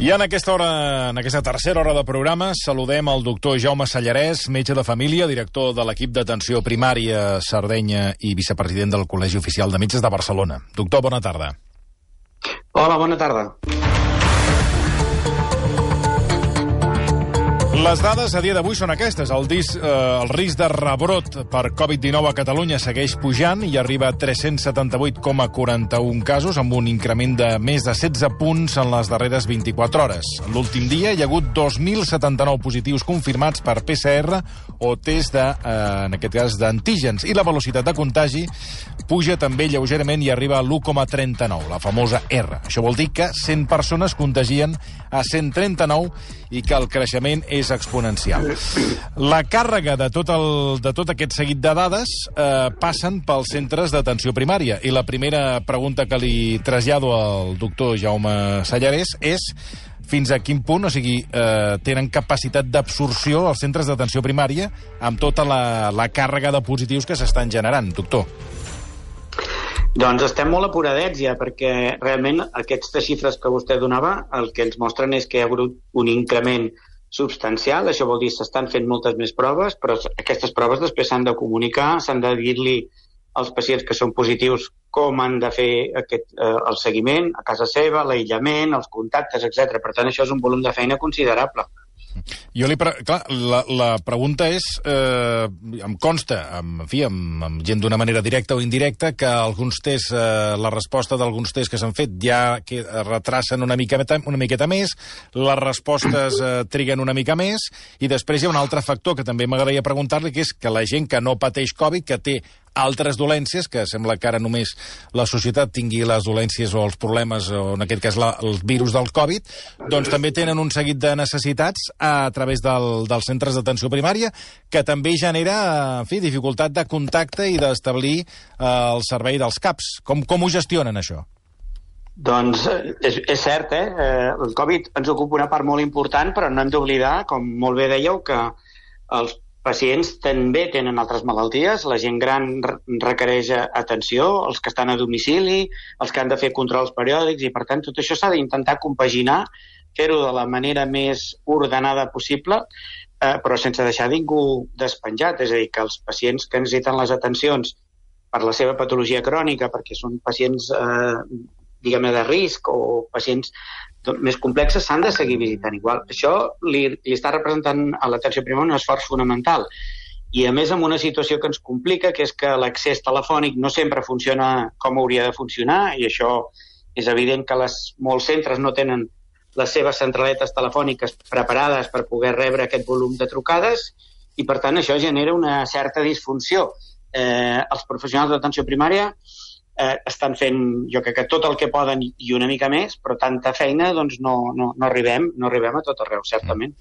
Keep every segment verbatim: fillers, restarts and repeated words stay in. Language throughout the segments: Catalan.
I en aquesta hora, en aquesta tercera hora de programa, saludem el doctor Jaume Sallarès, metge de família, director de l'equip d'atenció primària Sardenya i vicepresident del Col·legi Oficial de Metges de Barcelona. Doctor, bona tarda. Hola, bona tarda. Les dades a dia d'avui són aquestes. El, dis, eh, el risc de rebrot per covid dinou a Catalunya segueix pujant i arriba a tres-cents setanta-vuit coma quaranta-un casos, amb un increment de més de setze punts en les darreres vint-i-quatre hores. L'últim dia hi ha hagut dos mil setanta-nou positius confirmats per P C R o test, de, eh, en aquest cas, d'antígens. I la velocitat de contagi puja també lleugerament i arriba a l'u coma trenta-nou, la famosa R. Això vol dir que cent persones contagien a cent trenta-nou i que el creixement és exponencial. La càrrega de tot, el, de tot aquest seguit de dades eh, passen pels centres d'atenció primària. I la primera pregunta que li trasllado al doctor Jaume Sallarès és fins a quin punt, o sigui, eh, tenen capacitat d'absorció els centres d'atenció primària amb tota la, la càrrega de positius que s'estan generant, doctor. Doncs estem molt apuradets ja, perquè realment aquestes xifres que vostè donava el que ens mostren és que hi ha hagut un increment substancial. Això vol dir que s'estan fent moltes més proves, però aquestes proves després s'han de comunicar, s'han de dir-li als pacients que són positius com han de fer aquest, eh, el seguiment a casa seva, l'aïllament, els contactes, etcètera. Per tant, això és un volum de feina considerable. Jo li... Pre... Clar, la, la pregunta és... Eh, em consta, en fi, amb, amb gent d'una manera directa o indirecta, que alguns tests, eh, la resposta d'alguns tests que s'han fet ja que retracen una miqueta, una miqueta més, les respostes eh, triguen una mica més, i després hi ha un altre factor que també m'agradaria preguntar-li, que és que la gent que no pateix Covid, que té altres dolències, que sembla que ara només la societat tingui les dolències o els problemes, o en aquest cas la, el virus del Covid, doncs també tenen un seguit de necessitats a través del, dels centres d'atenció primària, que també genera, en fi, dificultat de contacte i d'establir eh, el servei dels C A Ps. Com, com ho gestionen, això? Doncs és, és cert, eh? El Covid ens ocupa una part molt important, però no hem d'oblidar, com molt bé dèieu, que els pacients també tenen altres malalties, la gent gran requereix atenció, els que estan a domicili, els que han de fer controls periòdics, i per tant tot això s'ha d'intentar compaginar, fer-ho de la manera més ordenada possible, eh, però sense deixar ningú despenjat. És a dir, que els pacients que necessiten les atencions per la seva patologia crònica, perquè són pacients eh, diguem-ne de risc o pacients més complexes, s'han de seguir visitant igual. Això li, li està representant a l'atenció primària un esforç fonamental. I a més amb una situació que ens complica, que és que l'accés telefònic no sempre funciona com hauria de funcionar, i això és evident que les, molts centres no tenen les seves centraletes telefòniques preparades per poder rebre aquest volum de trucades, i per tant això genera una certa disfunció. Eh, els professionals d'atenció primària Eh, estan fent, jo crec que tot el que poden i una mica més, però tanta feina doncs no, no, no, arribem, no arribem a tot arreu, certament.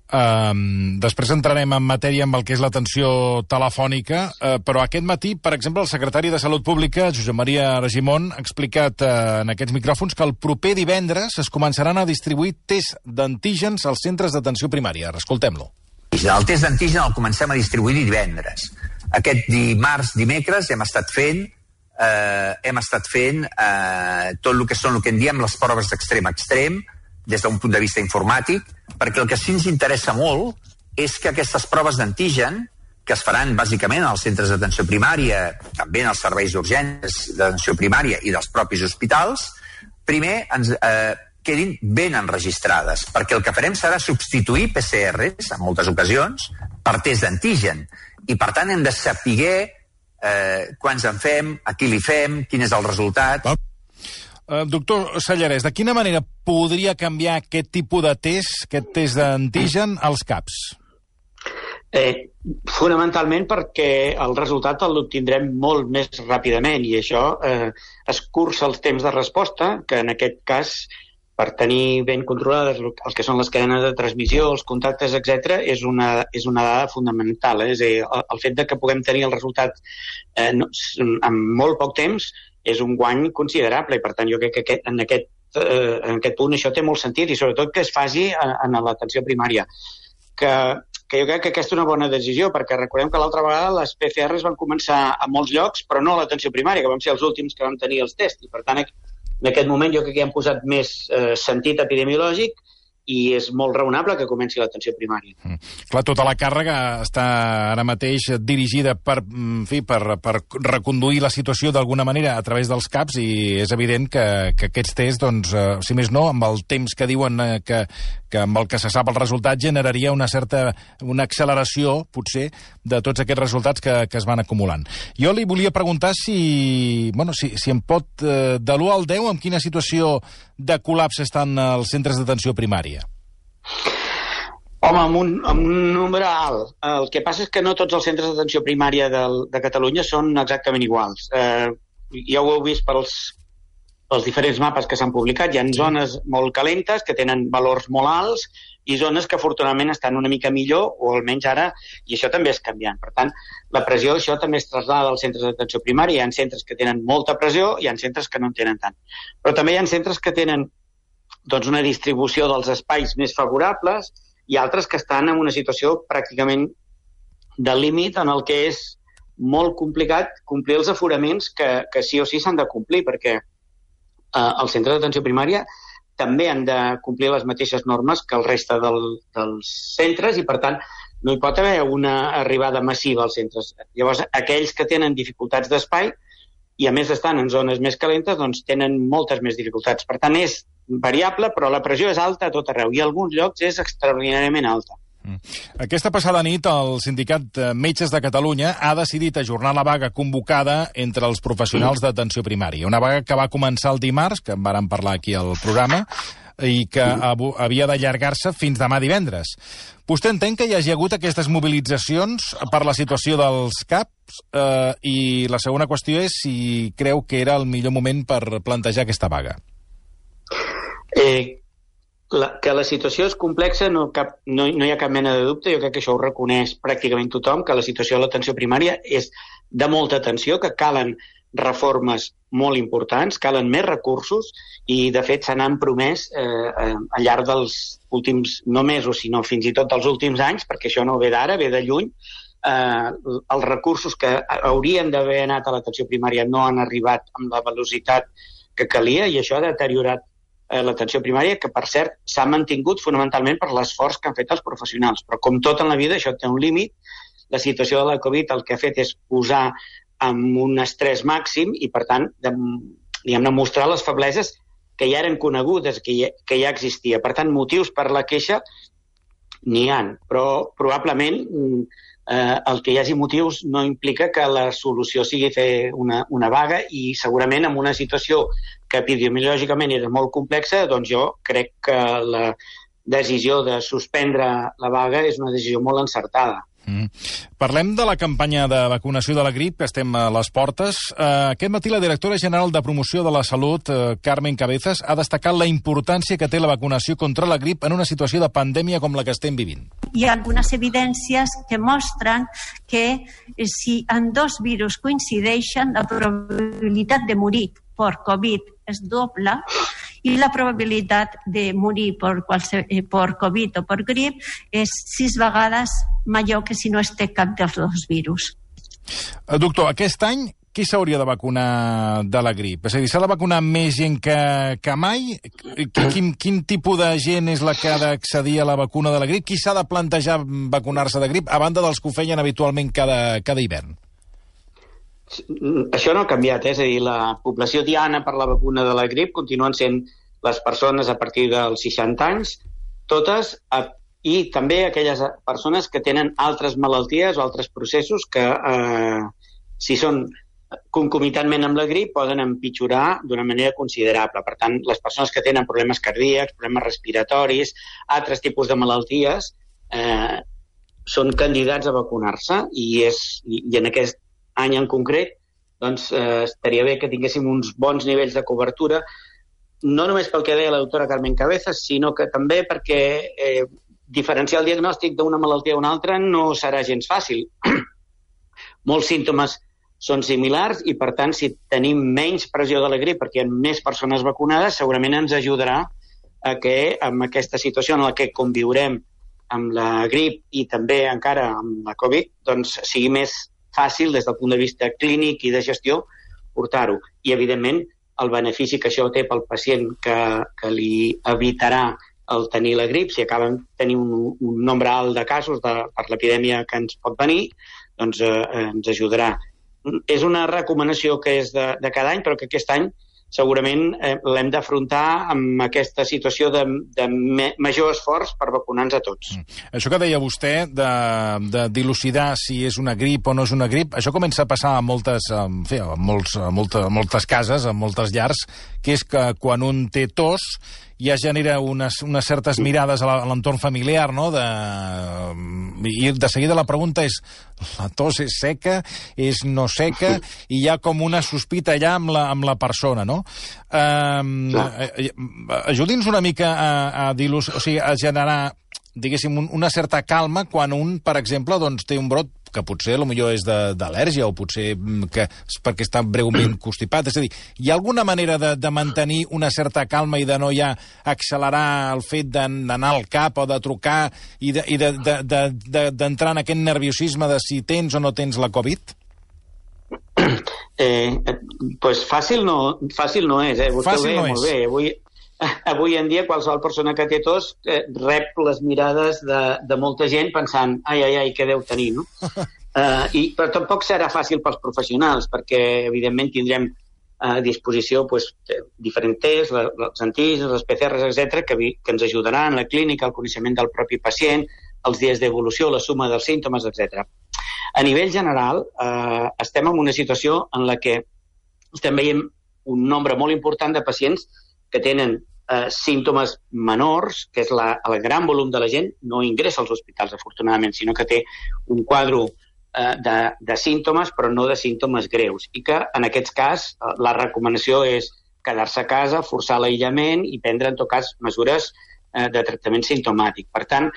Um, després entrarem en matèria amb el que és l'atenció telefònica, uh, però aquest matí, per exemple, el secretari de Salut Pública, Josep Maria Argimon, ha explicat uh, en aquests micròfons que el proper divendres es començaran a distribuir tests d'antígens als centres d'atenció primària. Escoltem-lo. El test d'antígen el comencem a distribuir divendres. Aquest dimarts, dimecres, hem estat fent Eh, hem estat fent eh, tot el que són el que en diem les proves d'extrem a extrem, des d'un punt de vista informàtic, perquè el que sí ens interessa molt és que aquestes proves d'antigen, que es faran bàsicament als centres d'atenció primària, també en els serveis d'urgències d'atenció primària i dels propis hospitals, primer ens eh, quedin ben enregistrades, perquè el que farem serà substituir P C Rs, en moltes ocasions, per test d'antigen, i per tant hem de saber Eh, quants en fem, a qui li fem, quin és el resultat. Uh, doctor Sallarès, de quina manera podria canviar aquest tipus de test, aquest test d'antigen, als C A Ps? Eh, fonamentalment perquè el resultat l'obtindrem molt més ràpidament, i això eh, escurça els temps de resposta, que en aquest cas, per tenir ben controlades el que són les cadenes de transmissió, els contactes, etcètera, és una, és una dada fonamental. Eh? És a dir, el, el fet de que puguem tenir el resultat eh, no, en molt poc temps és un guany considerable, i per tant jo crec que aquest, en, aquest, eh, en aquest punt això té molt sentit, i sobretot que es faci en, en l'atenció primària. Que, que jo crec que aquesta és una bona decisió, perquè recordem que l'altra vegada les P C Rs van començar a molts llocs, però no a l'atenció primària, que vam ser els últims que vam tenir els tests, i per tant En aquest moment jo crec que hi han posat més eh, sentit epidemiològic i és molt raonable que comenci l'atenció primària. Mm. Clar, tota la càrrega està ara mateix dirigida per, en fi, per, per reconduir la situació d'alguna manera a través dels CAPs i és evident que, que aquests tests, doncs, eh, si més no, amb el temps que diuen eh, que, que amb el que se sap el resultat generaria una certa una acceleració, potser, de tots aquests resultats que, que es van acumulant. Jo li volia preguntar si, bueno, si, si em pot, eh, de l'u al deu, en quina situació de col·lapse estan els centres d'atenció primària? Home, amb un, amb un número alt. El que passa és que no tots els centres d'atenció primària del, de Catalunya són exactament iguals. Eh, ja ho heu vist pels, pels diferents mapes que s'han publicat. Hi ha zones molt calentes que tenen valors molt alts i zones que afortunadament estan una mica millor, o almenys ara, i això també és canviant. Per tant, la pressió, això també es trasllada als centres d'atenció primària. Hi ha centres que tenen molta pressió, hi ha centres que no en tenen tant. Però també hi ha centres que tenen doncs, una distribució dels espais més favorables i altres que estan en una situació pràcticament de límit en el que és molt complicat complir els aforaments que, que sí o sí s'han de complir, perquè eh, els centres d'atenció primària també han de complir les mateixes normes que el reste del, dels centres i, per tant, no hi pot haver una arribada massiva als centres. Llavors, aquells que tenen dificultats d'espai i, a més, estan en zones més calentes, doncs tenen moltes més dificultats. Per tant, és variable, però la pressió és alta a tot arreu i a alguns llocs és extraordinàriament alta. Aquesta passada nit el Sindicat Metges de Catalunya ha decidit ajornar la vaga convocada entre els professionals d'atenció primària. Una vaga que va començar el dimarts, que en vàrem parlar aquí al programa, i que havia d'allargar-se fins demà divendres. Vostè entén que hi hagi hagut aquestes mobilitzacions per la situació dels CAPs? Eh, I la segona qüestió és si creu que era el millor moment per plantejar aquesta vaga. Eh, la, que la situació és complexa no, cap, no, no hi ha cap mena de dubte, jo crec que això ho reconeix pràcticament tothom, que la situació de l'atenció primària és de molta atenció, que calen reformes molt importants, calen més recursos i, de fet, se n'han promès eh, al llarg dels últims, no mesos, sinó fins i tot dels últims anys, perquè això no ve d'ara, ve de lluny. Eh, els recursos que haurien d'haver anat a l'atenció primària no han arribat amb la velocitat que calia i això ha deteriorat eh, l'atenció primària, que, per cert, s'ha mantingut fonamentalment per l'esforç que han fet els professionals. Però, com tot en la vida, això té un límit. La situació de la Covid el que ha fet és posar amb un estrès màxim i, per tant, de, diguem-ne, mostrar les febleses que ja eren conegudes, que ja, que ja existia. Per tant, motius per la queixa n'hi ha, però probablement eh, el que hi hagi motius no implica que la solució sigui fer una, una vaga i segurament en una situació que epidemiològicament era molt complexa, doncs jo crec que la decisió de suspendre la vaga és una decisió molt encertada. Mm. Parlem de la campanya de vacunació de la grip, estem a les portes. Uh, aquest matí la directora general de Promoció de la Salut, uh, Carmen Cabezas, ha destacat la importància que té la vacunació contra la grip en una situació de pandèmia com la que estem vivint. Hi ha algunes evidències que mostren que si en dos virus coincideixen, la probabilitat de morir per Covid és doble i la probabilitat de morir per, qualse, per Covid o per grip és sis vegades major que si no es té cap dels dos virus. Doctor, aquest any qui s'hauria de vacunar de la grip? És a dir, s'ha de vacunar més gent que, que mai? Quin, quin tipus de gent és la que ha d'accedir a la vacuna de la grip? Qui s'ha de plantejar vacunar-se de grip, a banda dels que ho feien habitualment cada, cada hivern? Això no ha canviat, eh? És a dir, la població diana per la vacuna de la grip continuen sent les persones a partir dels seixanta anys, totes, i també aquelles persones que tenen altres malalties o altres processos que, eh, si són concomitantment amb la grip, poden empitjorar d'una manera considerable. Per tant, les persones que tenen problemes cardíacs, problemes respiratoris, altres tipus de malalties, eh, són candidats a vacunar-se i, és, i, i en aquest any en concret, doncs eh, estaria bé que tinguéssim uns bons nivells de cobertura, no només pel que deia la doctora Carmen Cabezas, sinó que també perquè eh, diferenciar el diagnòstic d'una malaltia a una altra no serà gens fàcil. Molts símptomes són similars i, per tant, si tenim menys pressió de la grip perquè hi ha més persones vacunades, segurament ens ajudarà a que amb aquesta situació en la que conviurem amb la grip i també encara amb la Covid, doncs sigui més fàcil des del punt de vista clínic i de gestió portar-ho. I, evidentment, el benefici que això té pel pacient, que, que li evitarà el tenir la grip, si acaben tenir un, un nombre alt de casos de, per l'epidèmia que ens pot venir, doncs eh, ens ajudarà. És una recomanació que és de, de cada any, però que aquest any segurament eh, l'hem d'afrontar amb aquesta situació de, de me, major esforç per vacunar-nos a tots. Mm. Això que deia vostè, de, de dilucidar si és una grip o no és una grip, això comença a passar a moltes, en fi, a molts, a molta, a moltes cases, a moltes llars, que és que quan un té tos ja genera unes, unes certes mirades a l'entorn familiar, no? De, i de seguida la pregunta és, la tos és seca, és no seca, i hi ha com una sospita allà amb la, amb la persona, no? Um, Ajudi'ns una mica a, a, dilus, o sigui, a generar, diguéssim, una certa calma quan un, per exemple, doncs, té un brot que potser potser és d'al·lèrgia o potser que és perquè està breument constipat. És a dir, hi ha alguna manera de, de mantenir una certa calma i de no ja accelerar el fet d'anar al cap o de trucar i d'entrar de, de, de, de, de, en aquest nerviosisme de si tens o no tens la Covid? Eh, pues fàcil no, fàcil no és, eh? Vostè fàcil ho no ve molt és. bé. Avui, avui en dia qualsevol persona que té tos eh, rep les mirades de, de molta gent pensant, ai, ai, ai, què deu tenir, no? Uh, i, però tampoc serà fàcil pels professionals, perquè evidentment tindrem a disposició pues, diferents tests, els antígens, les P C Rs, etcètera, que, que ens ajudaran a la clínica, el coneixement del propi pacient, els dies d'evolució, la suma dels símptomes, etcètera. A nivell general, eh, estem en una situació en la que estem veient un nombre molt important de pacients que tenen eh, símptomes menors, que és la, el gran volum de la gent, no ingressa als hospitals, afortunadament, sinó que té un quadre eh, de, de símptomes, però no de símptomes greus. I que, en aquest cas, eh, la recomanació és quedar-se a casa, forçar l'aïllament i prendre, en tot cas, mesures eh, de tractament simptomàtic. Per tant,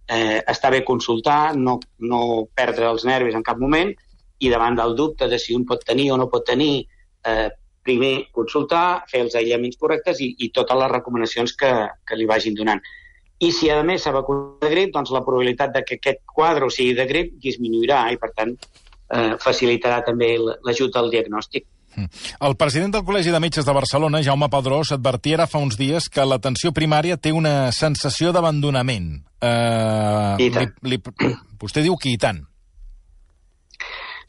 eh, està bé consultar, no, no perdre els nervis en cap moment, i davant del dubte de si un pot tenir o no pot tenir, eh, primer consultar, fer els aïllaments correctes i, i totes les recomanacions que, que li vagin donant. I si, a més, s'ha vacunat de grip, doncs la probabilitat de que aquest quadre sigui de grip disminuirà i, per tant, eh, facilitarà també l'ajut al diagnòstic. El president del Col·legi de Metges de Barcelona, Jaume Padrós, advertia ara fa uns dies que l'atenció primària té una sensació d'abandonament. Uh, I tant. Li, li, vostè diu que i tant.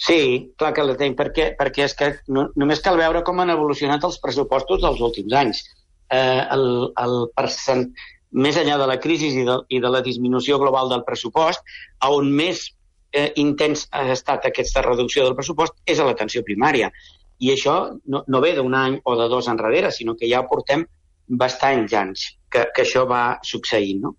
Sí, clar que la tenim, perquè, perquè és que no, només cal veure com han evolucionat els pressupostos dels últims anys. Eh, el, el percent, més enllà de la crisi i de, i de la disminució global del pressupost, on més eh, intens ha estat aquesta reducció del pressupost és a l'atenció primària. I això no, no ve d'un any o de dos enrere, sinó que ja portem bastants anys que, que això va succeint, no?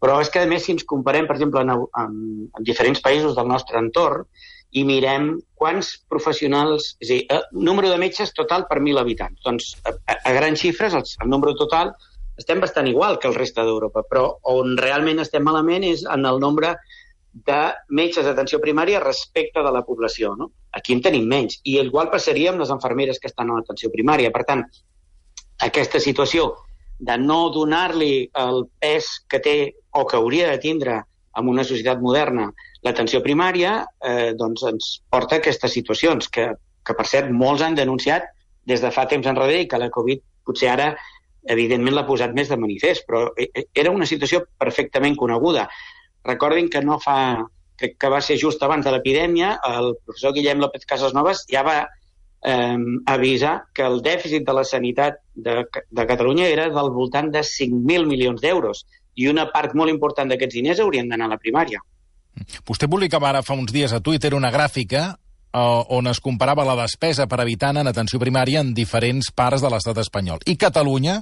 Però és que, a més, si ens comparem, per exemple, en, en, en diferents països del nostre entorn, i mirem quants professionals, és a dir, el número de metges total per mil habitants. Doncs, a, a grans xifres, el, el número total, estem bastant igual que el reste d'Europa, però on realment estem malament és en el nombre de metges d'atenció primària respecte de la població, no? Aquí en tenim menys. I igual passaria amb les infermeres que estan a l'atenció primària. Per tant, aquesta situació de no donar-li el pes que té o que hauria de tindre en una societat moderna l'atenció primària, eh, doncs ens porta a aquestes situacions que, que, per cert, molts han denunciat des de fa temps enrere i que la Covid potser ara, evidentment, l'ha posat més de manifest, però era una situació perfectament coneguda. Recordin que no fa, crec que va ser just abans de l'epidèmia, el professor Guillem López Casasnovas ja va eh, avisar que el dèficit de la sanitat de, de Catalunya era del voltant de cinc mil milions d'euros i una part molt important d'aquests diners haurien d'anar a la primària. Vostè publicava ara fa uns dies a Twitter una gràfica uh, on es comparava la despesa per habitant en atenció primària en diferents parts de l'estat espanyol. I Catalunya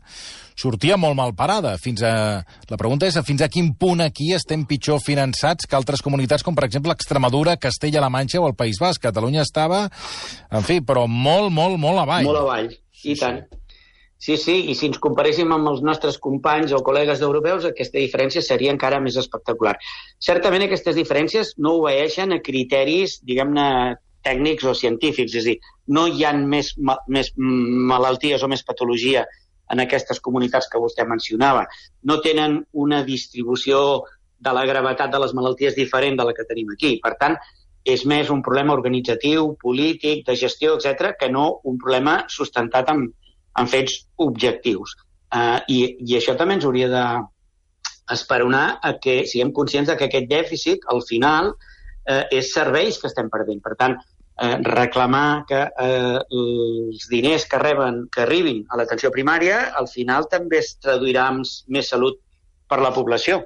sortia molt mal parada. Fins a... La pregunta és fins a quin punt aquí estem pitjor finançats que altres comunitats, com per exemple Extremadura, Castella-La Manxa o el País Basc. Catalunya estava, en fi, però molt, molt, molt avall. Molt avall, i tant. Sí, sí, i si ens comparéssim amb els nostres companys o col·legues d'europeus, aquesta diferència seria encara més espectacular. Certament aquestes diferències no obeeixen a criteris, diguem-ne, tècnics o científics, és a dir, no hi ha més, més malalties o més patologia en aquestes comunitats que vostè mencionava. No tenen una distribució de la gravetat de les malalties diferent de la que tenim aquí. Per tant, és més un problema organitzatiu, polític, de gestió, etcètera, que no un problema sustentat amb amb fets objectius. Uh, i, I això també ens hauria d'esperonar a que siguem conscients de que aquest dèficit, al final, uh, és serveis que estem perdent. Per tant, uh, reclamar que uh, els diners que reben, que arribin a l'atenció primària, al final també es traduirà en més salut per la població.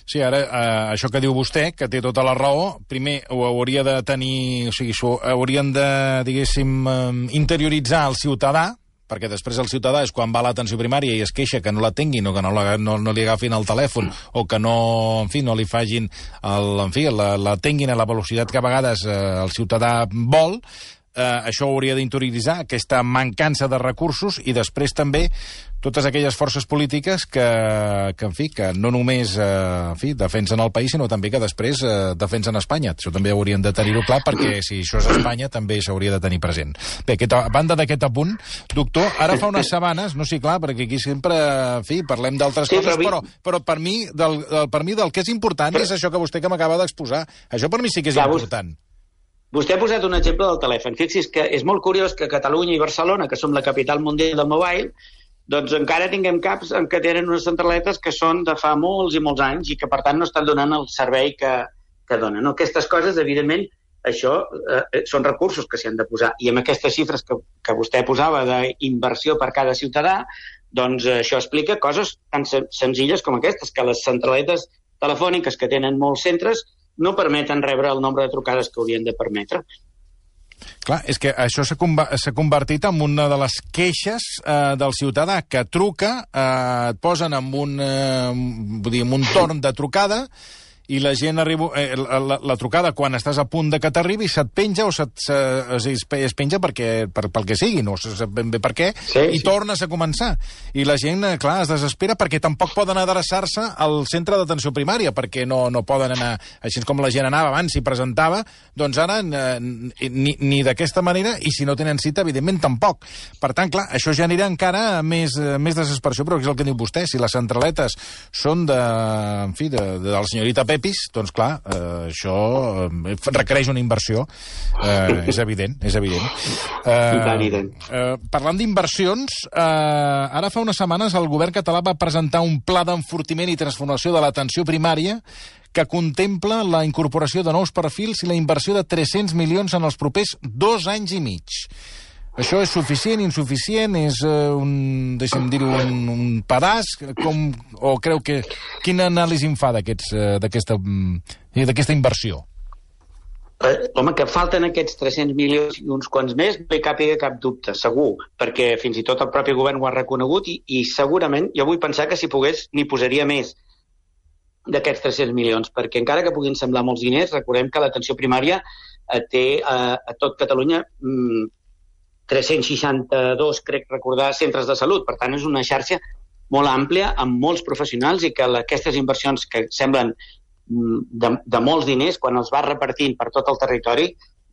Sí, ara, eh, això que diu vostè, que té tota la raó, primer ho hauria de tenir, o sigui, ho haurien de, diguéssim, eh, interioritzar el ciutadà, perquè després el ciutadà és quan va a l'atenció primària i es queixa que no la tinguin o que no, la, no, no li agafin el telèfon o que no, en fi, no li fagin, el, en fi, la, la tinguin a la velocitat que a vegades eh, el ciutadà vol. Eh, això ho hauria d'interioritzar, aquesta mancança de recursos, i després també totes aquelles forces polítiques que, que en fi, que no només eh, en fi, defensen el país, sinó també que després eh, defensen Espanya. Això també haurien de tenir-ho clar, perquè si això és Espanya també s'hauria de tenir present. Bé, aquesta, a banda d'aquest apunt, doctor, ara fa unes setmanes, no sé, clar, perquè aquí sempre, en fi, parlem d'altres sí, coses, però, però per, mi, del, del, per mi del que és important és això que vostè que m'acaba d'exposar. Això per mi sí que és clar, important. Vostè ha posat un exemple del telèfon. Fixi's que és molt curiós que Catalunya i Barcelona, que som la capital mundial del mobile, doncs encara tinguem caps en què tenen unes centraletes que són de fa molts i molts anys i que, per tant, no estan donant el servei que, que donen. No? Aquestes coses, evidentment, això eh, són recursos que s'hi han de posar. I amb aquestes xifres que, que vostè posava d'inversió per cada ciutadà, doncs eh, això explica coses tan sen senzilles com aquestes, que les centraletes telefòniques que tenen molts centres no permeten rebre el nombre de trucades que haurien de permetre. Clar, és que això s'ha convertit en una de les queixes eh, del ciutadà, que truca, eh, et posen en un, eh, vull dir, en un torn de trucada, i la gent arriba... Eh, la, la trucada, quan estàs a punt de que t'arribi, se't penja o se't, se, es, es penja perquè, per, pel que sigui, no se sap ben bé per què, sí, i sí. tornes a començar. I la gent, clar, es desespera perquè tampoc poden adreçar-se al centre d'atenció primària, perquè no, no poden anar... Així com la gent anava abans i presentava, doncs ara eh, ni, ni d'aquesta manera, i si no tenen cita, evidentment, tampoc. Per tant, clar, això genera encara més, més desesperació, però és el que diu vostè, si les centraletes són de, en fi, de, de, de la senyorita Pepis, doncs clar, eh, això eh, requereix una inversió, eh, és evident, és evident. Eh, eh, parlant d'inversions, eh, ara fa unes setmanes el govern català va presentar un pla d'enfortiment i transformació de l'atenció primària que contempla la incorporació de nous perfils i la inversió de tres-cents milions en els propers dos anys i mig. Això és suficient, insuficient, és uh, un, deixa'm dir-ho, un, un pedaç, com, o creu que... Quina anàlisi en fa d'aquesta uh, inversió? Eh, home, que falten aquests tres-cents milions i uns quants més, no hi càpiga cap dubte, segur, perquè fins i tot el propi govern ho ha reconegut i, i segurament jo vull pensar que si pogués n'hi posaria més d'aquests tres-cents milions, perquè encara que puguin semblar molts diners, recordem que l'atenció primària eh, té eh, a tot Catalunya mm, tres-cents seixanta-dos, crec recordar, centres de salut. Per tant, és una xarxa molt àmplia, amb molts professionals, i que aquestes inversions que semblen de, de molts diners, quan els va repartint per tot el territori,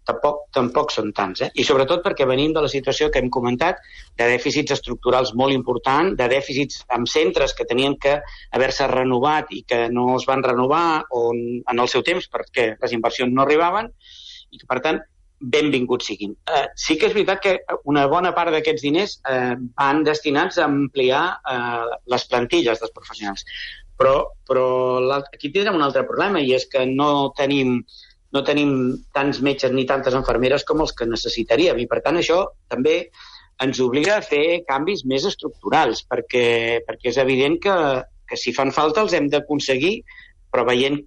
tampoc, tampoc són tants. Eh? I sobretot perquè venim de la situació que hem comentat, de dèficits estructurals molt importants, de dèficits amb centres que tenien que haver-se renovat i que no es van renovar on, en el seu temps perquè les inversions no arribaven, i que, per tant, benvinguts siguin. Eh, sí que és veritat que una bona part d'aquests diners eh, van destinats a ampliar eh, les plantilles dels professionals. Però, però aquí tindrem un altre problema, i és que no tenim, no tenim tants metges ni tantes infermeres com els que necessitaríem. I, per tant, això també ens obliga a fer canvis més estructurals, perquè, perquè és evident que, que si fan falta els hem d'aconseguir, però veient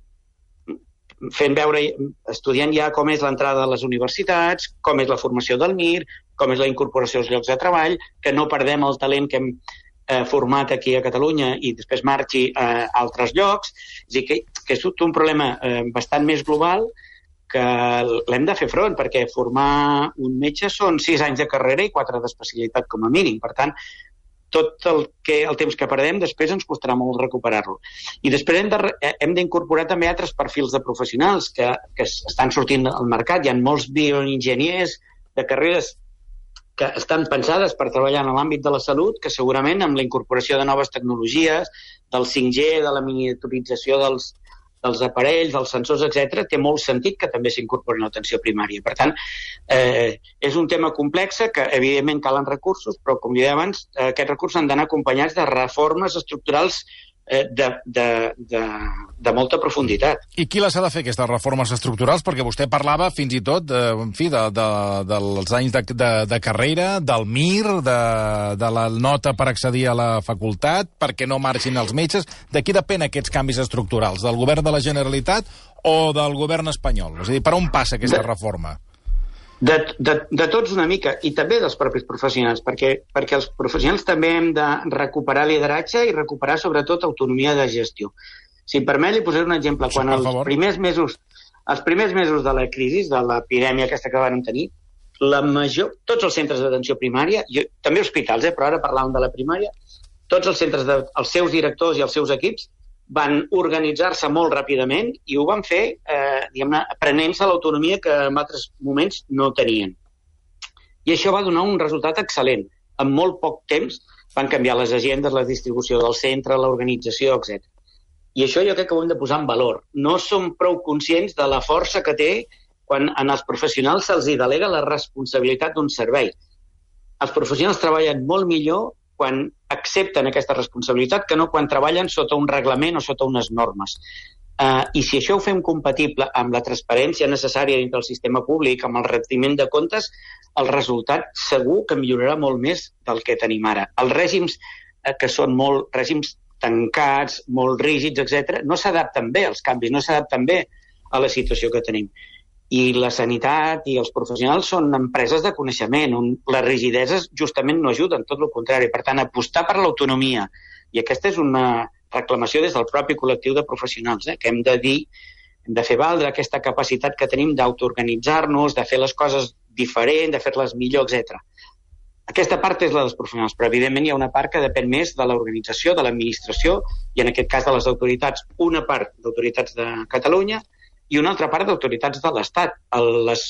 fent veure, estudiant ja com és l'entrada a les universitats, com és la formació del M I R, com és la incorporació als llocs de treball, que no perdem el talent que hem eh, format aquí a Catalunya i després marxi a altres llocs. És a dir, que, que és tot un problema eh, bastant més global que l'hem de fer front, perquè formar un metge són sis anys de carrera i quatre d'especialitat com a mínim. Per tant, tot el, que, el temps que perdem després ens costarà molt recuperar-lo. I després hem, de, hem d'incorporar també altres perfils de professionals que, que estan sortint al mercat. Hi ha molts bioenginyers de carreres que estan pensades per treballar en l'àmbit de la salut, que segurament amb la incorporació de noves tecnologies, del cinc G, de la miniaturització dels, dels aparells, dels sensors, etcètera, té molt sentit que també s'incorporin a l'atenció primària. Per tant, eh, és un tema complex que, evidentment, calen recursos, però, com deia abans, eh, aquests recursos han d'anar acompanyats de reformes estructurals eh, de, de, de, de molta profunditat. I qui les ha de fer, aquestes reformes estructurals? Perquè vostè parlava fins i tot, eh, en fi, de, de, dels anys de, de, de carrera, del M I R, de, de la nota per accedir a la facultat, perquè no marxin els metges. De qui depèn aquests canvis estructurals? Del govern de la Generalitat o del govern espanyol? És a dir, per on passa aquesta de, reforma? De, de, de tots una mica, i també dels propis professionals, perquè, perquè els professionals també hem de recuperar lideratge i recuperar, sobretot, autonomia de gestió. Si em permet, li posaré un exemple. Quan els primers mesos, els primers mesos de la crisi, de l'epidèmia aquesta que van tenir, la major, tots els centres d'atenció primària, jo, també hospitals, eh, però ara parlàvem de la primària, tots els centres, de, els seus directors i els seus equips van organitzar-se molt ràpidament i ho van fer, eh, diguem-ne, prenent-se l'autonomia que en altres moments no tenien. I això va donar un resultat excel·lent. En molt poc temps van canviar les agendes, la distribució del centre, l'organització, etcètera. I això jo crec que ho hem de posar en valor. No som prou conscients de la força que té quan en els professionals se'ls delega la responsabilitat d'un servei. Els professionals treballen molt millor quan accepten aquesta responsabilitat que no quan treballen sota un reglament o sota unes normes. Uh, I si això ho fem compatible amb la transparència necessària dintre del sistema públic, amb el retiment de comptes, el resultat segur que millorarà molt més del que tenim ara. Els règims uh, que són molt règims tancats, molt rígids, etcètera, no s'adapten bé als canvis, no s'adapten bé a la situació que tenim. I la sanitat i els professionals són empreses de coneixement, on les rigideses justament no ajuden, tot el contrari. Per tant, apostar per l'autonomia, i aquesta és una reclamació des del propi col·lectiu de professionals, eh, que hem de dir, hem de fer valdre aquesta capacitat que tenim d'autoorganitzar-nos, de fer les coses diferent, de fer-les millor, etcètera. Aquesta part és la dels professionals, però evidentment hi ha una part que depèn més de l'organització, de l'administració, i en aquest cas de les autoritats, una part d'autoritats de Catalunya, i una altra part d'autoritats de l'Estat. Les,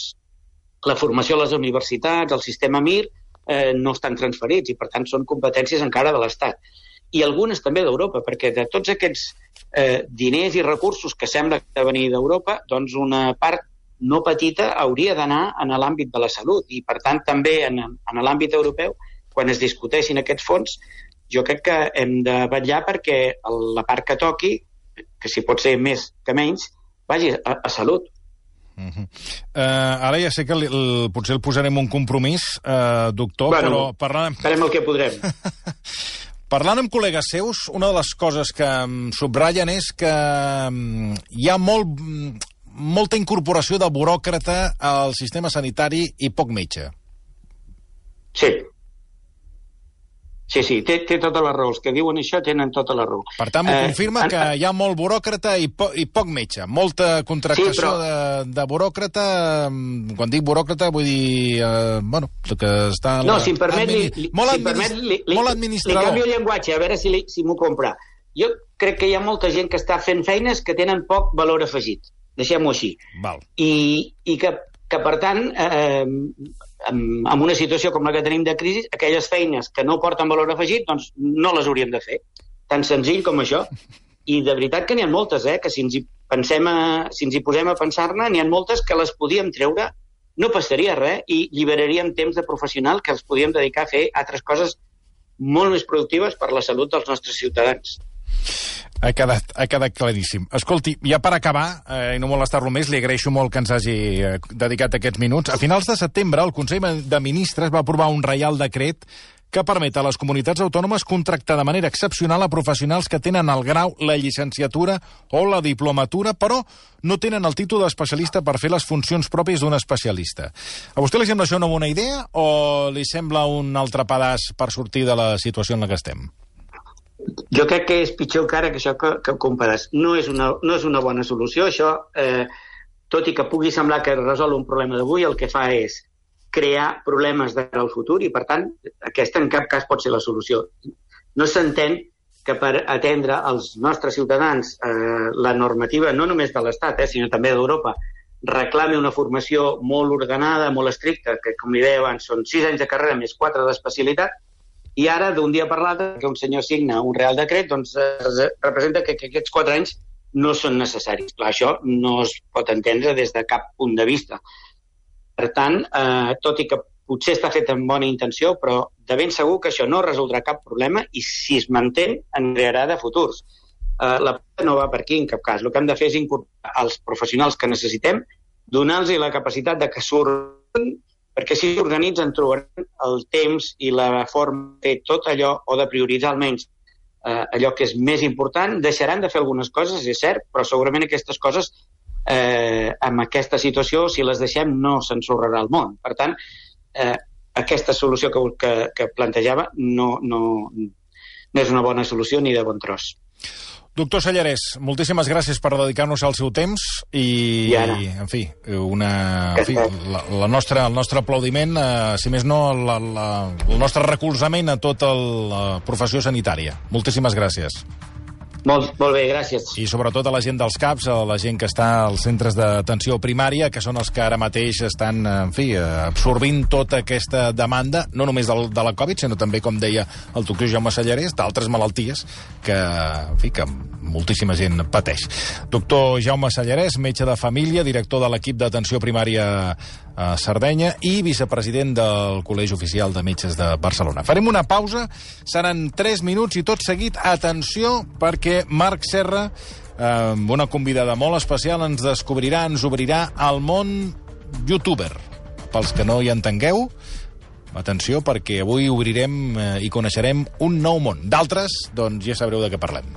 la formació a les universitats, el sistema M I R, eh, no estan transferits i, per tant, són competències encara de l'Estat. I algunes també d'Europa, perquè de tots aquests eh, diners i recursos que sembla que venir d'Europa, doncs una part no petita hauria d'anar en l'àmbit de la salut. I, per tant, també en, en l'àmbit europeu, quan es discuteixin aquests fons, jo crec que hem de vetllar perquè la part que toqui, que si pot ser més que menys, vagi a, a salut. Uh -huh. uh, ara ja sé que li, el, potser el posarem un compromís, uh, doctor, bueno, però parlant... farem el que podrem. Parlant amb col·legues seus, una de les coses que um, subratllen és que um, hi ha molt, molta incorporació de buròcrata al sistema sanitari i poc metge. Sí. Sí, sí, té, té tota la raó. Els que diuen això tenen tota la raó. Per tant, m'ho eh, confirma en, que hi ha molt buròcrata i, po, i poc metge. Molta contractació sí, però... de, de buròcrata. Quan dic buròcrata vull dir... Eh, bueno, que està... No, si em permet, admini... li, molt, si administ... permet li, li, molt administrador. Li canvio el llenguatge, a veure si, li, si m'ho compra. Jo crec que hi ha molta gent que està fent feines que tenen poc valor afegit. Deixem-ho així. Val. I, i que, que, per tant, eh, en, en una situació com la que tenim de crisi, aquelles feines que no porten valor afegit, doncs no les hauríem de fer. Tan senzill com això. I de veritat que n'hi ha moltes, eh, que si ens hi, pensem a, si ens hi posem a pensar-ne, n'hi ha moltes que les podíem treure, no passaria res, i lliberaríem temps de professional que els podíem dedicar a fer altres coses molt més productives per la salut dels nostres ciutadans. Ha quedat, ha quedat claríssim. Escolti, ja per acabar, eh, i no molestar-lo més, li agraeixo molt que ens hagi eh, dedicat aquests minuts. A finals de setembre, el Consell de Ministres va aprovar un reial decret que permet a les comunitats autònomes contractar de manera excepcional a professionals que tenen el grau, la llicenciatura o la diplomatura, però no tenen el títol d'especialista per fer les funcions pròpies d'un especialista. A vostè li sembla això una bona idea o li sembla un altre pedaç per sortir de la situació en la que estem? Jo crec que és pitjor encara que això que, que compares. No és, una, no és una bona solució. Això, eh, tot i que pugui semblar que resol un problema d'avui, el que fa és crear problemes de cara al futur i, per tant, aquesta en cap cas pot ser la solució. No s'entén que per atendre als nostres ciutadans eh, la normativa, no només de l'Estat, eh, sinó també d'Europa, reclami una formació molt ordenada, molt estricta, que, com li deia abans, són sis anys de carrera més quatre d'especialitat, i ara, d'un dia per l'altre, que un senyor signa un real decret, doncs eh, representa que, que aquests quatre anys no són necessaris. Clar, això no es pot entendre des de cap punt de vista. Per tant, eh, tot i que potser està fet amb bona intenció, però de ben segur que això no resoldrà cap problema i si es manté en crearà de futurs. Eh, la no va per aquí en cap cas. El que hem de fer és incorporar els professionals que necessitem, donar-los la capacitat de que surten, perquè si s'organitzen trobaran el temps i la forma de fer tot allò o de prioritzar almenys eh, allò que és més important. Deixaran de fer algunes coses, és cert, però segurament aquestes coses eh, amb aquesta situació, si les deixem, no s'ensorrarà el món. Per tant, eh, aquesta solució que, que, que plantejava no, no, no és una bona solució ni de bon tros. Doctor Sellarès, moltíssimes gràcies per dedicar-nos al seu temps i, I ara. en fi, una, en fi la, la nostra, el nostre aplaudiment, eh, si més no, la, la, el nostre recolzament a tota la professió sanitària. Moltíssimes gràcies. Molt, molt bé, gràcies. I sobretot a la gent dels C A Ps, a la gent que està als centres d'atenció primària, que són els que ara mateix estan, en fi, absorbint tota aquesta demanda, no només del, de la Covid, sinó també, com deia el doctor Jaume Sellarès, d'altres malalties que, en fi, que moltíssima gent pateix. Doctor Jaume Sellarès, metge de família, director de l'equip d'atenció primària a Sardenya i vicepresident del Col·legi Oficial de Metges de Barcelona. Farem una pausa, seran tres minuts i tot seguit, atenció, perquè Marc Serra, amb una convidada molt especial, ens descobrirà, ens obrirà al món youtuber. Pels que no hi entengueu, atenció, perquè avui obrirem eh, i coneixerem un nou món. D'altres, doncs ja sabreu de què parlem.